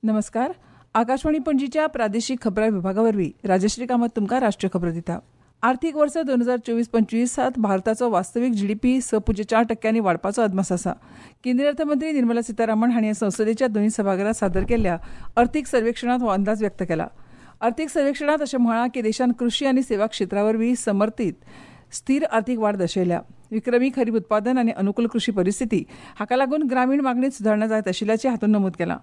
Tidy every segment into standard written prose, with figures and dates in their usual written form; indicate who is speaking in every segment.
Speaker 1: नमस्कार. आकाशवाणी पणजीच्या प्रादेशिक खबरां विभागा वरवीं राजश्री कामत तुमकां राष्ट्रीय खबरो दिता. आर्थिक वर्स 2024-25 भारताचो वास्तवीक जीडीपी 6.4% वाडपाचो अदमास आसा. केंद्रीय अर्थमंत्री निर्मला सीतारामन हांणी संसदेच्या दोनूय सभाघरांत सादर केल्ल्या अर्थीक सर्वेक्षणांत हो अंदाज व्यक्त केला. अर्थीक सर्वेक्षणांत अशें म्हळां की देशान कृशी आनी सेवा क्षेत्रा वरवीं समर्थीत स्थिर आर्थिक वाड दर्शयल्या. विक्रमी खरीप उत्पादन आनी अनुकूल कृशी परिस्थिती हाका लागून ग्रामीण मागणीत सुदारणा जायत आशिल्ल्याचें हातूंत नमूद केलां.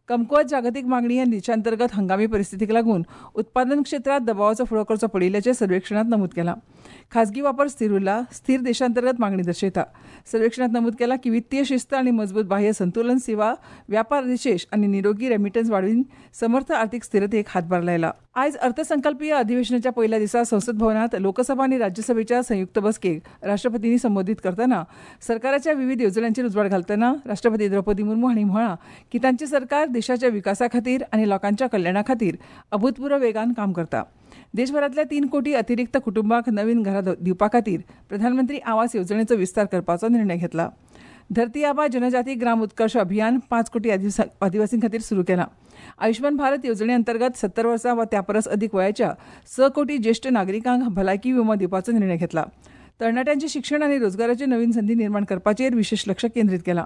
Speaker 1: कमकुवत जागतीक मागणी आनी देशांतर्गत हंगामी परिस्थितीक लागून उत्पादन क्षेत्रांत दबावाचो फुडो करचो पडिल्ल्याचें सर्वेक्षणांत नमूद केलां. खाजगी वापर स्थिर उरला, स्थिर देशांतर्गत मागणी दर्शयता. सर्वेक्षणांत नमूद केलां की वित्तीय शिस्त आनी मजबूत बाह्य संतुलन सेवा, व्यापार निशेष आनी निरोगी रेमिटन्स वाडोवन समर्थ आर्थिक स्थिरतेक हातभार लायला. आयज अर्थसंकल्पीय अधिवेशनाच्या पयल्या दिसा संसद भवनांत लोकसभा आनी राज्यसभेच्या संयुक्त बसकेक राष्ट्रपतींनी संबोधीत करतना सरकाराच्या विविध येवजण्यांचेर उजवाड घालतना राष्ट्रपती द्रौपदी मुर्मू हांणी म्हळां की तांचें सरकार देशाच्या विकासा खातीर आनी लोकांच्या कल्याणा खातीर अभूतपूर्व वेगान काम करता. देशभरांतल्या 3 कोटी अतिरिक्त कुटुंबांक नवीन घरां दिवपा खातीर प्रधानमंत्री आवास येवजणेचो विस्तार करपाचो निर्णय घेतला. धरती आबा जनजाती ग्राम उत्कर्ष अभियान 5 कोटी आदिवासीं खातीर सुरू केलां. आयुष्मान भारत येवजणे अंतर्गत 70 वर्सां वा त्या परस अदीक वयाच्या 6 कोटी ज्येश्ठ नागरिकांक भलायकी विमो दिवपाचो निर्णय घेतला. तरणाट्यांचें शिक्षण आनी रोजगाराच्यो नवीन संदी निर्माण करपाचेर विशेश लक्ष केंद्रीत केलां.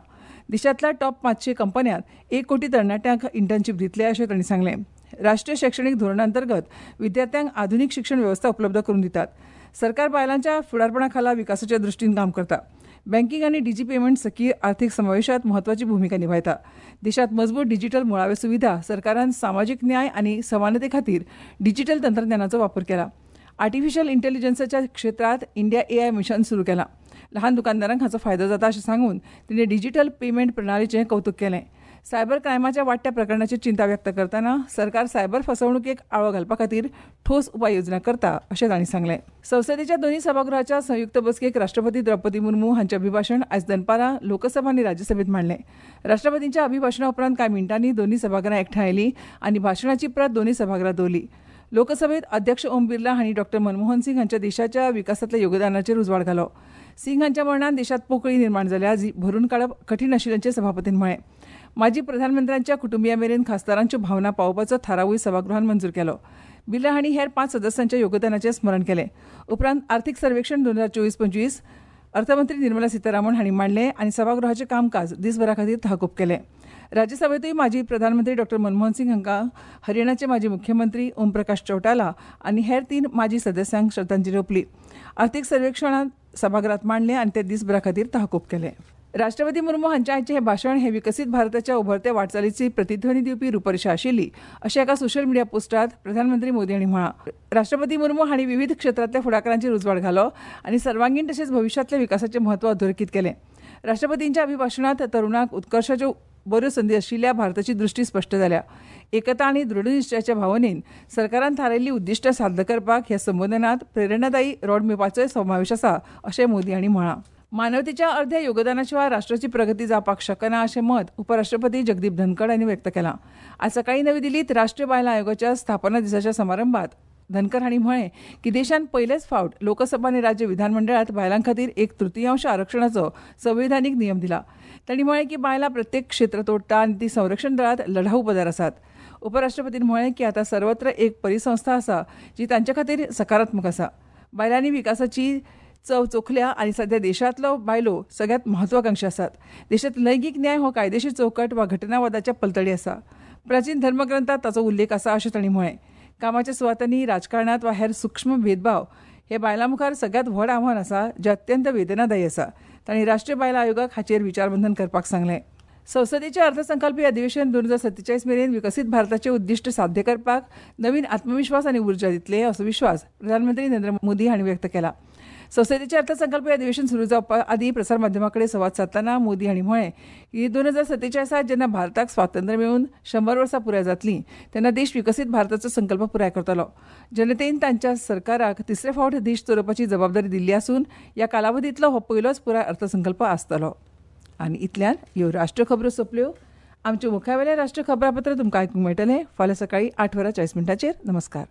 Speaker 1: देशांतल्या टॉप 500 कंपन्यांत 1 कोटी तरणाट्यांक इंटर्नशीप दितले अशें तांणी सांगलें. राष्ट्रीय शैक्षणिक धोरणा अंतर्गत विद्यार्थ्यांक आधुनिक शिक्षण वेवस्था उपलब्ध करून दितात. सरकार बायलांच्या फुडारपणा खाला विकासाच्या दृष्टीन काम करता. बँकिंग आनी डिजी पेमेंट सखी आर्थिक समावेशात म्हत्वाची भूमिका निभायता. देशात मजबूत डिजिटल मुळाव्यो सुविधा सरकारान सामाजिक न्याय आनी समानते खातीर डिजिटल तंत्रज्ञानाचो वापर केला. आर्टिफिशियल इंटेलिजन्साच्या क्षेत्रात इंडिया एआय मिशन सुरू केलां. लहान दुकानदारांक हाचो फायदो जाता अशें सांगून तिणें डिजिटल पेमेंट प्रणालीचें कौतुक केलें. सायबर क्रायमाच्या वाडट्या प्रकरणाचेर चिंता व्यक्त करतना सरकार सायबर फसवणुकेक आळो घालपा खातीर ठोस उपाययोजना करता अशें तांणी सांगलें. संसदेच्या दोनूय सभागृहाच्या संयुक्त बसकेक राष्ट्रपती द्रौपदी मुर्मू हांचें अभिभाशण आयज दनपारां लोकसभा आनी राज्यसभेत मांडलें. राष्ट्रपतींच्या अभिभाशणा उपरांत कांय मिनटांनी दोनूय सभाघरां एकठांय आयलीं आनी भाशणाची प्रत दोनूय सभाघरांत दवरली. लोकसभेत अध्यक्ष ओम बिर्ला हांणी डॉ मनमोहन सिंग हांच्या देशाच्या विकासांतल्या योगदानाचेर उजवाड घालो. सिंग हांच्या मरणान देशांत पोकळी निर्माण जाल्या जी भरून काडप कठीण आशिल्ल्याचें सभापतीन म्हळें. माजी प्रधानमंत्र्यांच्या कुटुंबिया मेरेन खासदारांच्यो भावना पावोवपाचो थारावूय सभागृहान मंजूर केलो. बिर्ला हांणी हेर 5 सदस्यांच्या योगदानाचें स्मरण केलें. उपरांत आर्थिक सर्वेक्षण 2024-25 अर्थमंत्री निर्मला सीतारामन हांणी मांडलें आनी सभागृहाचें कामकाज दिसभरा खातीर तहकूब केलें. राज्यसभेंतूय माजी प्रधानमंत्री डॉ मनमोहन सिंग हांकां हरियाणाचे माजी मुख्यमंत्री ओम प्रकाश चौटाला आनी हेर 3 माजी सदस्यांक श्रद्धांजली ओंपली. आर्थिक सर्वेक्षणांत सभागृहात मांडलें आनी ते दिसभरा खातीर तहकूब केलें. राष्ट्रपती मुर्मू हांच्या आयचें हें भाशण हें विकसीत भारताच्या उभरत्या वाटचालीची प्रतिध्वनी दिवपी रुपरेशा आशिल्ली अशें एका सोशल मिडिया पोस्टात प्रधानमंत्री मोदी हांणी म्हळां. राष्ट्रपती मुर्मू हांणी विविध क्षेत्रांतल्या फुडाकारांचेर उजवाड घालो आनी सर्वांगीण तशेंच भविश्यांतल्या विकासाचें म्हत्व अधोरेखीत केलें. राष्ट्रपतींच्या अभिभाशणांत तरुणांक उत्कर्शाच्यो बऱ्यो संदी आशिल्ल्या भारताची दृष्टी स्पश्ट जाल्या. एकता आनी दृढनिश्चयाच्या भावनेन सरकारान थारायिल्लीं उद्दिश्टां साध्य करपाक ह्या संबोधनांत प्रेरणादायी रोडमॅपाचोय समावेश आसा अशें मोदी हांणी म्हळां. मानवतेच्या अर्ध्या योगदानाशिवाय राष्ट्राची प्रगती जावपाक शकना अशें मत उपराष्ट्रपती जगदीप धनखड हांणी व्यक्त केलां. आज सकाळीं नवी दिल्लीत राष्ट्रीय बायलां आयोगाच्या स्थापना दिसाच्या समारंभात धनखड हांणी म्हळें की देशान पयलेच फावट लोकसभा आनी राज्य विधानमंडळात बायलां खातीर 1/3 आरक्षणाचो संविधानीक नियम दिला. तांणी म्हळें की बायलां प्रत्येक क्षेत्र तोडटा आनी ती संरक्षण दळांत लढाऊ पदार आसात. उपराष्ट्रपतीन म्हळें की आतां सर्वत्र एक परिसंस्था आसा जी तांचे खातीर सकारात्मक आसा. बायलांनी विकासाची चव चोखल्या आनी सध्या देशांतलो बायलो सगळ्यांत महत्वाकांक्षी आसात. देशांत लैंगीक न्याय हो कायदेशीर चौकट वा घटनावादाच्या पलतडी आसा. प्राचीन धर्मग्रंथात ताचो उल्लेख आसा अशें तांणी म्हळें. कामाच्या सुवातांनी, राजकारणांत वा हेर सूक्ष्म भेदभाव हे बायलां मुखार सगळ्यांत व्हड आव्हान आसा जें अत्यंत वेदनादायी आसा. तांणी राष्ट्रीय बायलां आयोगाक हाचेर विचारमंथन करपाक सांगलें. संसदेचें अर्थसंकल्पीय अधिवेशन 2047 मेरेन विकसीत भारताचें उद्दिश्ट साध्य करपाक नवीन आत्मविश्वास आनी उर्जा दितले असो विश्वास प्रधानमंत्री नरेंद्र मोदी हांणी व्यक्त केला. संसदेचें अर्थसंकल्पीय अधिवेशन सुरू जावपा आदीं प्रसारमाध्यमां कडेन संवाद सादतना मोदी हांणी म्हळें की 2047 जेन्ना भारताक स्वातंत्र्य मेळून 100 वर्सां पुराय जातलीं तेन्ना देश विकसीत भारताचो संकल्प पुराय करतलो. जनतेन तांच्या सरकाराक तिसरे फावट देश चलोवपाची जबाबदारी दिल्ली आसून ह्या कालावधींतलो हो पयलोच पुराय अर्थसंकल्प आसतलो. आनी इतल्यान ह्यो राष्ट्रीय खबरो सोंपल्यो. आमच्यो मुखावेलें राष्ट्रीय खबरापत्र तुमकां आयकूंक मेळटलें फाल्यां सकाळीं 8:40. नमस्कार.